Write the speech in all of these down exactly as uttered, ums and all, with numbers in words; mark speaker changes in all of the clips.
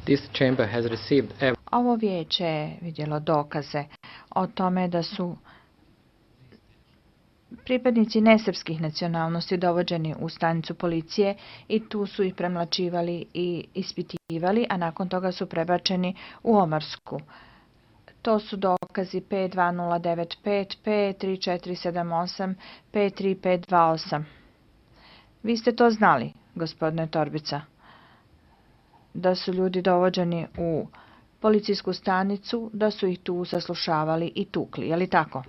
Speaker 1: This chamber has received ev-
Speaker 2: Ovo vijeće je vidjelo dokaze o tome da su pripadnici nesrpskih nacionalnosti dovođeni u stanicu policije i tu su ih premlačivali i ispitivali, a nakon toga su prebačeni u Omarsku. To su dokazi P dva nula devet pet, P tri četiri sedam osam, P tri pet dva osam. Vi ste to znali, gospodine Torbica, da su ljudi dovođeni u policijsku stanicu, da su ih tu saslušavali i tukli, je li tako?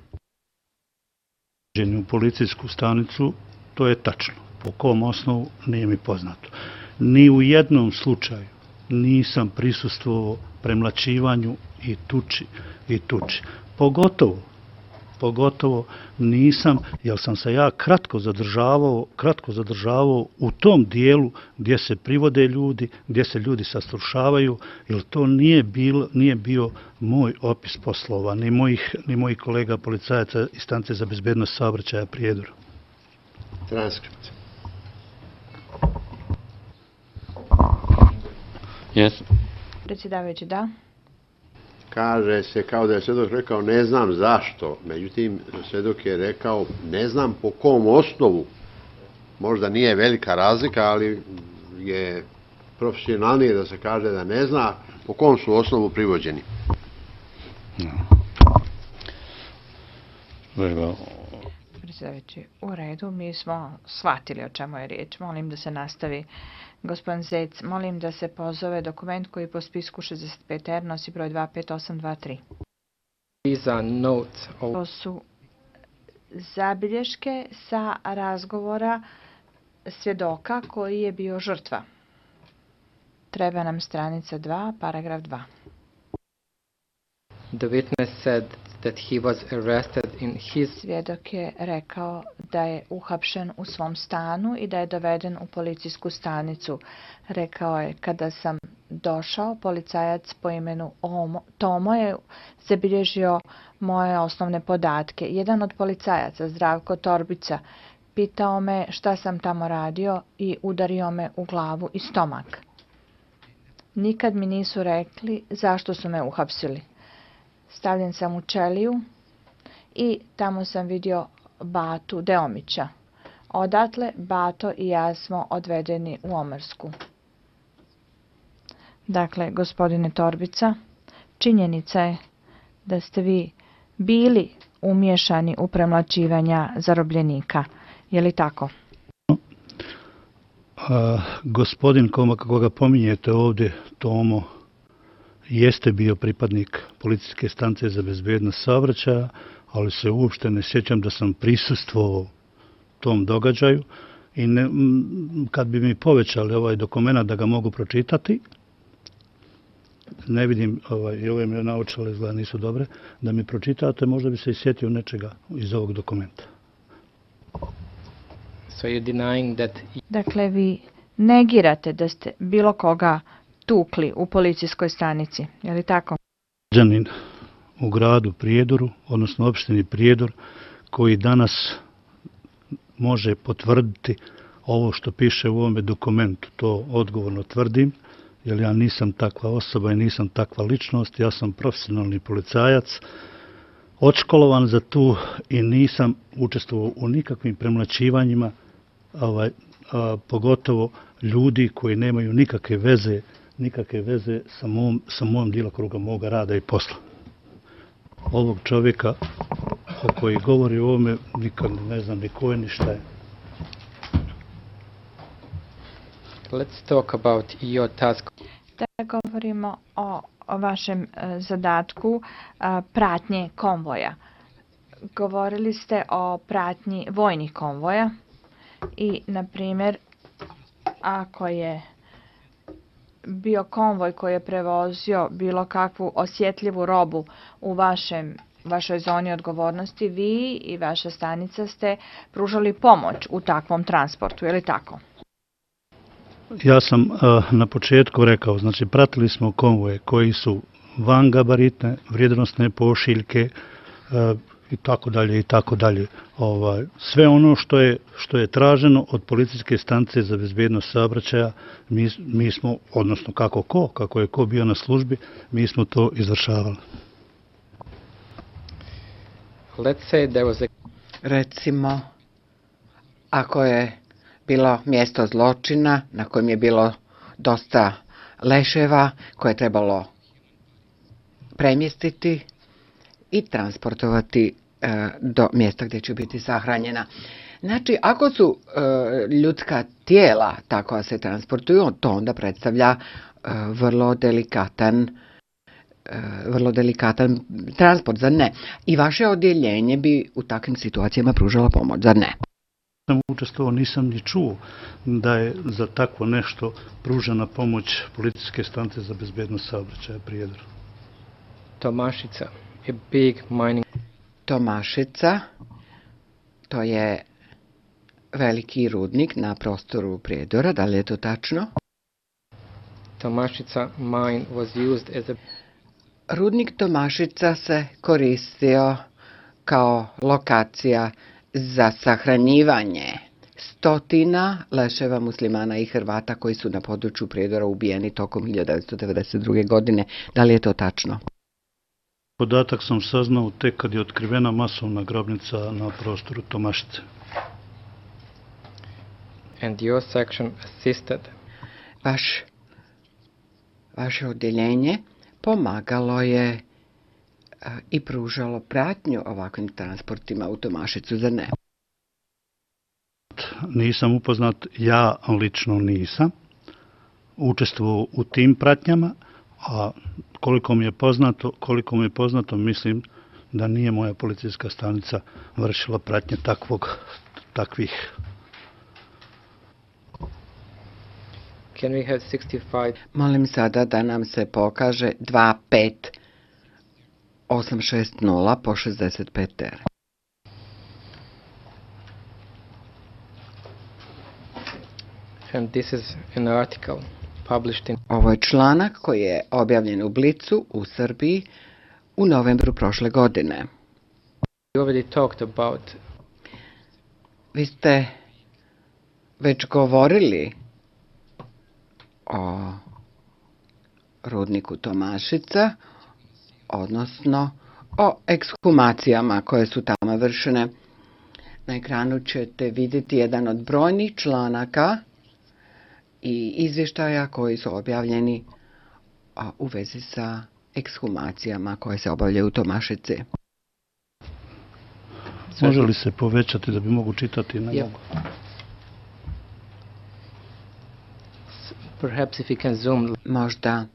Speaker 3: U policijsku stanicu, to je tačno. Po kom osnovu nije mi poznato. Ni u jednom slučaju nisam prisustvovao premlačivanju i tuči i tuči. Pogotovo, pogotovo nisam, jer sam se ja kratko zadržavao, kratko zadržavao u tom dijelu gdje se privode ljudi, gdje se ljudi saslušavaju, jer to nije, bilo, nije bio moj opis poslova, ni mojih, ni mojih kolega policajaca iz stanice za bezbednost saobraćaja Prijedor.
Speaker 4: Transkript.
Speaker 1: Yes.
Speaker 2: Predsjedavajući, da.
Speaker 4: Kaže se kao da je svjedok rekao ne znam zašto, međutim svjedok je rekao ne znam po kom osnovu. Možda nije velika razlika, ali je profesionalnije da se kaže da ne zna po kom su osnovu privođeni.
Speaker 3: No. Very well.
Speaker 2: Predsjedavajući, u redu, mi smo shvatili o čemu je riječ. Molim da se nastavi. Gospodin Zec, molim da se pozove dokument koji po spisku šezdeset pet R nosi broj dva pet osam dva tri.
Speaker 1: These are notes of
Speaker 2: To su zabilješke sa razgovora svjedoka koji je bio žrtva. Treba nam stranica dva, paragraf dva.
Speaker 1: the witness said that he was arrested in his
Speaker 2: Svjedok je rekao da je uhapšen u svom stanu i da je doveden u policijsku stanicu. Rekao je, kada sam došao, policajac po imenu Omo, Tomo je zabilježio moje osnovne podatke. Jedan od policajaca, Zdravko Torbica, pitao me šta sam tamo radio i udario me u glavu i stomak. Nikad mi nisu rekli zašto su me uhapsili. Stavljen sam u ćeliju i tamo sam vidio Batu Deomića. Odatle Bato i ja smo odvedeni u Omarsku. Dakle, gospodine Torbica, činjenica je da ste vi bili umiješani u premlaćivanja zarobljenika. Je li tako?
Speaker 3: A, gospodin koga pominjete ovdje, Tomo, jeste bio pripadnik policijske stanice za bezbednost saobraćaja, ali se uopšte ne sjećam da sam prisustvovao tom događaju i ne, kad bi mi povećali ovaj dokument da ga mogu pročitati, ne vidim, ovaj, i ove mi naočale izgleda nisu dobre, da mi pročitate, možda bi se i sjetio nečega iz ovog dokumenta.
Speaker 1: so you're denying that
Speaker 2: Dakle, vi negirate da ste bilo koga tukli u policijskoj stanici. Je li tako?
Speaker 3: Građanin u gradu Prijedoru, odnosno opštini Prijedor, koji danas može potvrditi ovo što piše u ovome dokumentu. To odgovorno tvrdim, jer ja nisam takva osoba i nisam takva ličnost. Ja sam profesionalni policajac, odškolovan za tu i nisam učestvovao u nikakvim premlaćivanjima, ovaj, a, pogotovo ljudi koji nemaju nikakve veze, nikakve veze sa mom, sa mojom djelokruga moga rada i posla. Ovog čovjeka o koji govori o ovome nikad ne znam ni ko je ni šta je.
Speaker 1: let's talk about your task.
Speaker 2: Da govorimo o, o vašem e, zadatku e, pratnje konvoja. Govorili ste o pratnji vojnih konvoja i, na primjer, ako je bio konvoj koji je prevozio bilo kakvu osjetljivu robu u vašem, vašoj zoni odgovornosti, vi i vaša stanica ste pružali pomoć u takvom transportu, je li tako?
Speaker 3: Ja sam uh, na početku rekao, znači pratili smo konvoje koji su van gabaritne, vrijednosne pošiljke, uh, i tako dalje i tako dalje. Ovaj, sve ono što je, što je traženo od policijske stanice za bezbednost saobraćaja, mi, mi smo, odnosno kako ko, kako je ko bio na službi, mi smo to izvršavali.
Speaker 1: Let's say there was a
Speaker 5: Recimo, ako je bilo mjesto zločina na kojem je bilo dosta leševa koje je trebalo premjestiti i transportovati e, do mjesta gdje će biti sahranjena. Znači, ako su e, ljudska tijela tako se transportuju, to onda predstavlja e, vrlo delikatan e, vrlo delikatan transport, zar ne? I vaše odjeljenje bi u takvim situacijama pružalo pomoć, zar ne?
Speaker 3: Sam učestvovao, nisam ni čuo da je za takvo nešto pružena pomoć policijske stanice za bezbednost saobraćaja Prijedor.
Speaker 1: Tomašica, a big mining.
Speaker 5: Tomašica, to je veliki rudnik na prostoru Prijedora, da li je to tačno?
Speaker 1: Tomašica mine was used as a
Speaker 5: Rudnik Tomašica se koristio kao lokacija za sahranjivanje stotina leševa muslimana i Hrvata koji su na području Prijedora ubijeni tokom hiljadu devetsto devedeset druge. godine. Da li je to tačno?
Speaker 3: Podatak sam saznao tek kad je otkrivena masovna grobnica na prostoru Tomašice.
Speaker 1: and your section assisted.
Speaker 5: Vaš, vaše odjeljenje pomagalo je a, i pružalo pratnju ovakvim transportima u Tomašicu, zar ne?
Speaker 3: Nisam upoznat, ja lično nisam učestvovao u tim pratnjama, a koliko mi je poznato, koliko mi je poznato, mislim da nije moja policijska stanica vršila pratnje takvog, takvih.
Speaker 1: Can we have sixty-five?
Speaker 5: Molim sada da nam se pokaže dva pet osam šest nula po šezdeset pet R.
Speaker 1: And this is an article published in
Speaker 5: Ovo je članak koji je objavljen u Blicu u Srbiji u novembru prošle godine.
Speaker 1: we already talked about
Speaker 5: Vi ste već govorili o rudniku Tomašica, odnosno o ekshumacijama koje su tamo vršene. Na ekranu ćete vidjeti jedan od brojnih članaka i izvještaja koji su objavljeni a, u vezi sa ekshumacijama koje se obavljaju u Tomašici.
Speaker 3: Može li se povećati da bi mogu čitati? Ne
Speaker 1: Yep.
Speaker 3: mogu.
Speaker 1: perhaps if you can zoom
Speaker 5: Možda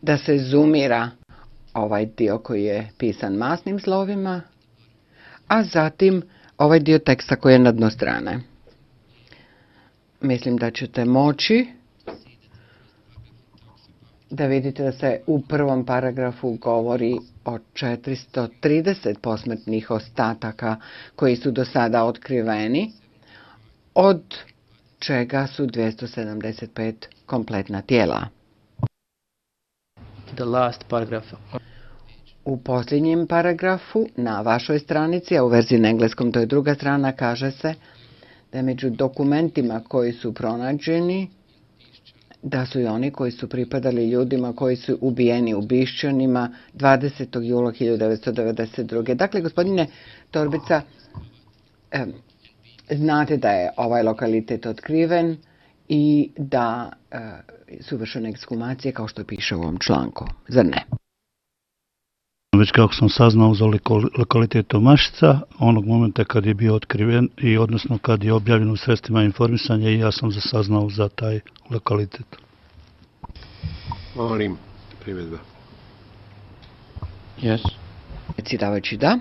Speaker 5: da se zoomira ovaj dio koji je pisan masnim slovima, a zatim ovaj dio teksta koji je na dno strane. Mislim da ćete moći da vidite da se u prvom paragrafu govori o četiristo trideset posmrtnih ostataka koji su do sada otkriveni, od čega su dvjesto sedamdeset pet kompletna tijela.
Speaker 1: the last paragraph.
Speaker 5: U posljednjem paragrafu na vašoj stranici, a u verziji na engleskom to je druga strana, kaže se da među dokumentima koji su pronađeni, da su i oni koji su pripadali ljudima koji su ubijeni u Bišćanima dvadesetog jula hiljadu devetsto devedeset druge. Dakle, gospodine Torbica, eh, znate da je ovaj lokalitet otkriven i da eh, su vršene ekshumacije kao što piše u ovom članku, zar ne?
Speaker 3: Već kako sam saznao za lokalitet Tomašica, onog momenta kad je bio otkriven i odnosno kad je objavljen u sredstvima informisanja, i ja sam saznao za taj lokalitet.
Speaker 4: Molim, primjedba.
Speaker 1: Yes.
Speaker 5: Predsjedavajući, da.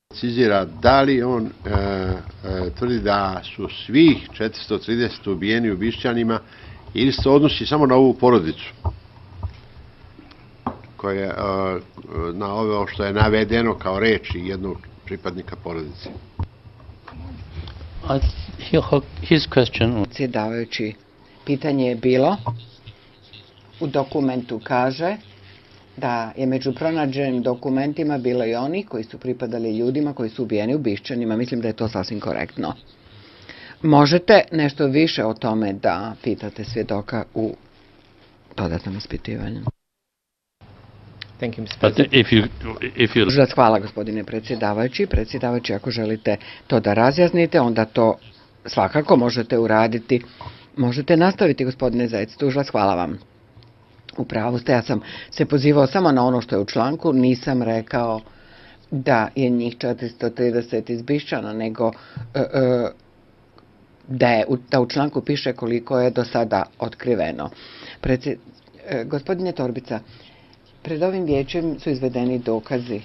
Speaker 4: Precizira da li on e, e, tvrdi da su svih četiristo trideset ubijeni u Bišćanima ili se odnosi samo na ovu porodicu koje e, na ovo što je navedeno kao reči jednog pripadnika porodice.
Speaker 6: I, he, his question
Speaker 5: Predsjedavajući, pitanje je bilo, u dokumentu kaže da je među pronađenim dokumentima bilo i oni koji su pripadali ljudima koji su ubijeni u Bišćanima. Mislim da je to sasvim korektno. Možete nešto više o tome da pitate svjedoka u dodatnom ispitivanju.
Speaker 1: Thank you, mister
Speaker 6: But
Speaker 1: President.
Speaker 6: if you, if you
Speaker 5: Tužilac, hvala gospodine predsjedavajući. Predsjedavajući, ako želite to da razjasnite, onda to svakako možete uraditi. Možete nastaviti, gospodine Zec. Tužilac, hvala vam. U pravu ste, ja sam se pozivao samo na ono što je u članku, nisam rekao da je njih četiristo trideset iz Bišćana, nego e, e, da, je, da u članku piše koliko je do sada otkriveno. Predsjed, e, gospodine Torbica, pred ovim vijećem su izvedeni dokazi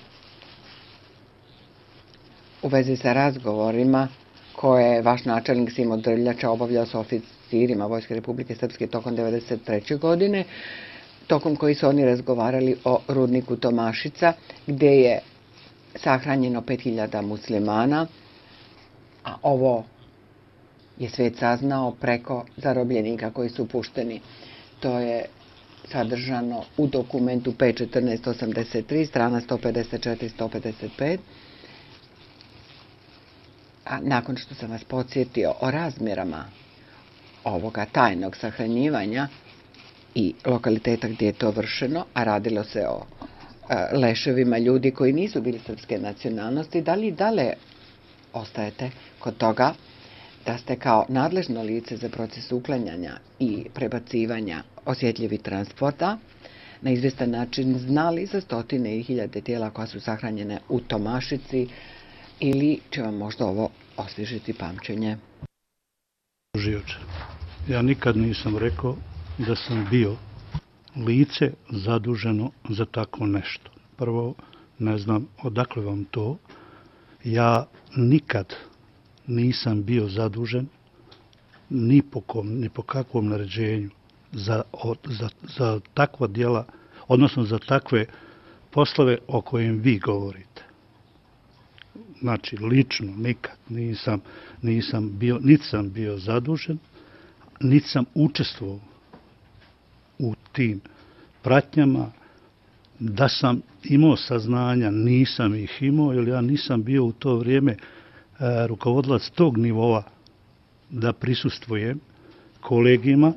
Speaker 5: u vezi sa razgovorima koje je vaš načelnik Simo Drljača obavljao sa oficirima Vojske Republike Srpske tokom devedeset treće godine, tokom koji su oni razgovarali o rudniku Tomašica, gdje je sahranjeno pet hiljada muslimana, a ovo je svijet saznao preko zarobljenika koji su pušteni. To je sadržano u dokumentu P četrnaest osamdeset tri, strana sto pedeset četiri do sto pedeset pet. A nakon što sam vas podsjetio o razmjerama ovoga tajnog sahranjivanja i lokaliteta gdje je to vršeno, a radilo se o e, leševima ljudi koji nisu bili srpske nacionalnosti, da li dalje ostajete kod toga da ste kao nadležno lice za proces uklanjanja i prebacivanja osjetljivih transporta na izvjestan način znali za stotine i hiljade tijela koja su sahranjene u Tomašici, ili će vam možda ovo osvježiti pamćenje?
Speaker 3: Tužioče, ja nikad nisam rekao da sam bio lice zaduženo za tako nešto. Prvo, ne znam odakle vam to. Ja nikad nisam bio zadužen ni po kom, ni po kakvom naređenju za, za, za takva djela, odnosno za takve poslove o kojim vi govorite. Znači, lično nikad nisam, nisam bio, niti sam bio zadužen, niti sam učestvovao u tim pratnjama. Da sam imao saznanja, nisam ih imao, jer ja nisam bio u to vrijeme e, rukovodilac tog nivoa da prisustvujem kolegima,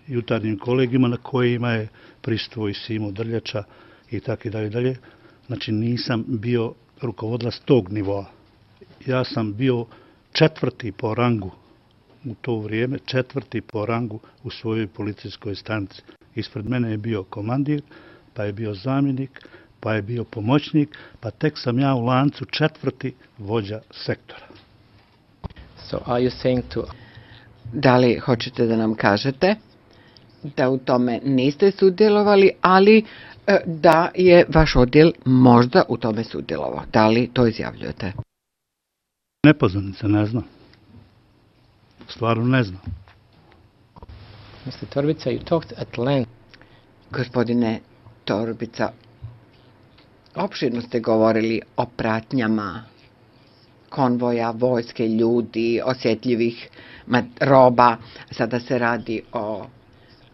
Speaker 3: jutarnjim kolegima na kojima je prisustvovao i Simo Drljača i tako i dalje dalje. Znači, nisam bio rukovodilac tog nivoa. Ja sam bio četvrti po rangu u to vrijeme, četvrti po rangu u svojoj policijskoj stanici. Ispred mene je bio komandir, pa je bio zamjenik, pa je bio pomoćnik, pa tek sam ja u lancu četvrti vođa sektora.
Speaker 1: So are you saying to...
Speaker 5: Da li hoćete da nam kažete da u tome niste sudjelovali, ali da je vaš odjel možda u tome sudjelovao? Da li to izjavljujete?
Speaker 3: Nepoznanica, ne znam. Stvarno ne znam.
Speaker 1: mister Torbica, you talked at length.
Speaker 5: Gospodine Torbica, opširno ste govorili o pratnjama konvoja, vojske, ljudi, osjetljivih roba. Sada se radi o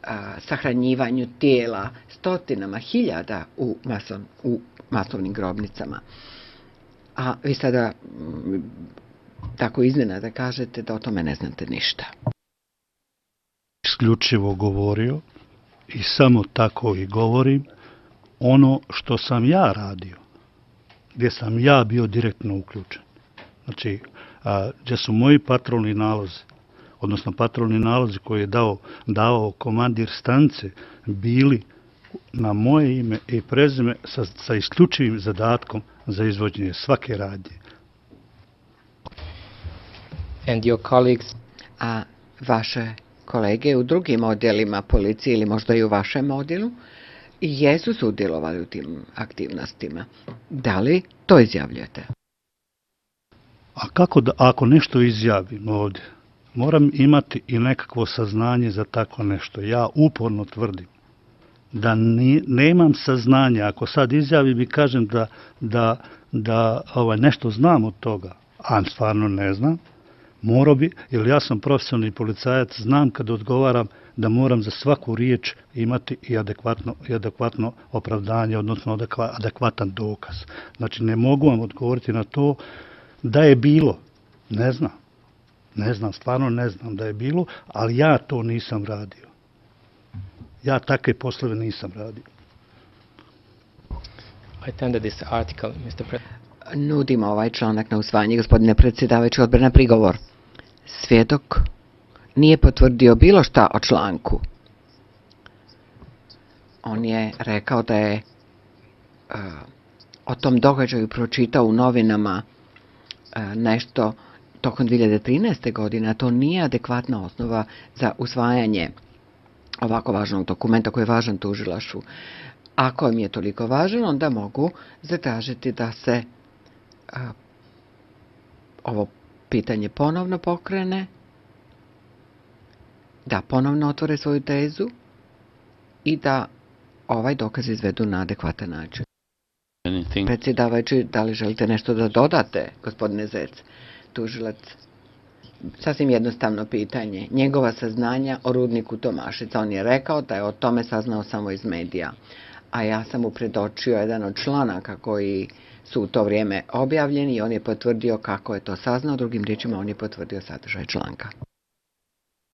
Speaker 5: a, sahranjivanju tijela stotinama hiljada u, mason, u masovnim grobnicama. A vi sada m, tako iznenada kažete da o tome ne znate ništa.
Speaker 3: Isključivo govorio i samo tako i govorim ono što sam ja radio, gdje sam ja bio direktno uključen. Znači, a, gdje su moji patrolni nalozi, odnosno patrolni nalozi koje je dao, dao komandir stanice, bili na moje ime i prezime sa, sa isključivim zadatkom za izvođenje svake radnje.
Speaker 1: And your colleagues...
Speaker 5: A vaše kolege u drugim odjelima policije ili možda i u vašem odjelu jesu sudjelovali u tim aktivnostima. Da li to izjavljujete?
Speaker 3: A kako da, ako nešto izjavim ovdje, moram imati i nekakvo saznanje za tako nešto. Ja uporno tvrdim da ni, nemam saznanja. Ako sad izjavim i kažem da, da, da ovaj, nešto znam od toga, a stvarno ne znam, Morao bi, jer ja sam profesionalni policajac, znam kad odgovaram da moram za svaku riječ imati i adekvatno, i adekvatno opravdanje, odnosno adekvatan dokaz. Znači, ne mogu vam odgovoriti na to da je bilo. Ne znam. Ne znam, stvarno ne znam da je bilo, ali ja to nisam radio. Ja takve poslove nisam radio.
Speaker 1: I tender this article, mister President.
Speaker 5: Nudimo ovaj članak na usvajanje, gospodine predsjedavajući, odbor na prigovor. Svjedok nije potvrdio bilo šta o članku. On je rekao da je uh, o tom događaju pročitao u novinama uh, nešto tokom dvije hiljade trinaeste. godine, a to nije adekvatna osnova za usvajanje ovako važnog dokumenta koji je važan tužilaštvu. Ako im je toliko važan, onda mogu zatražiti da se a, ovo pitanje ponovno pokrene, da ponovno otvore svoju tezu i da ovaj dokaz izvedu na adekvatan način.
Speaker 6: Anything?
Speaker 5: Predsjedavajući, da li želite nešto da dodate, gospodine Zec? Tužilac, sasvim jednostavno pitanje. Njegova saznanja o rudniku Tomašica. On je rekao da je o tome saznao samo iz medija. A ja sam mu predočio jedan od članaka koji su u to vrijeme objavljeni i on je potvrdio kako je to saznao. Drugim riječima, on je potvrdio sadržaj članka.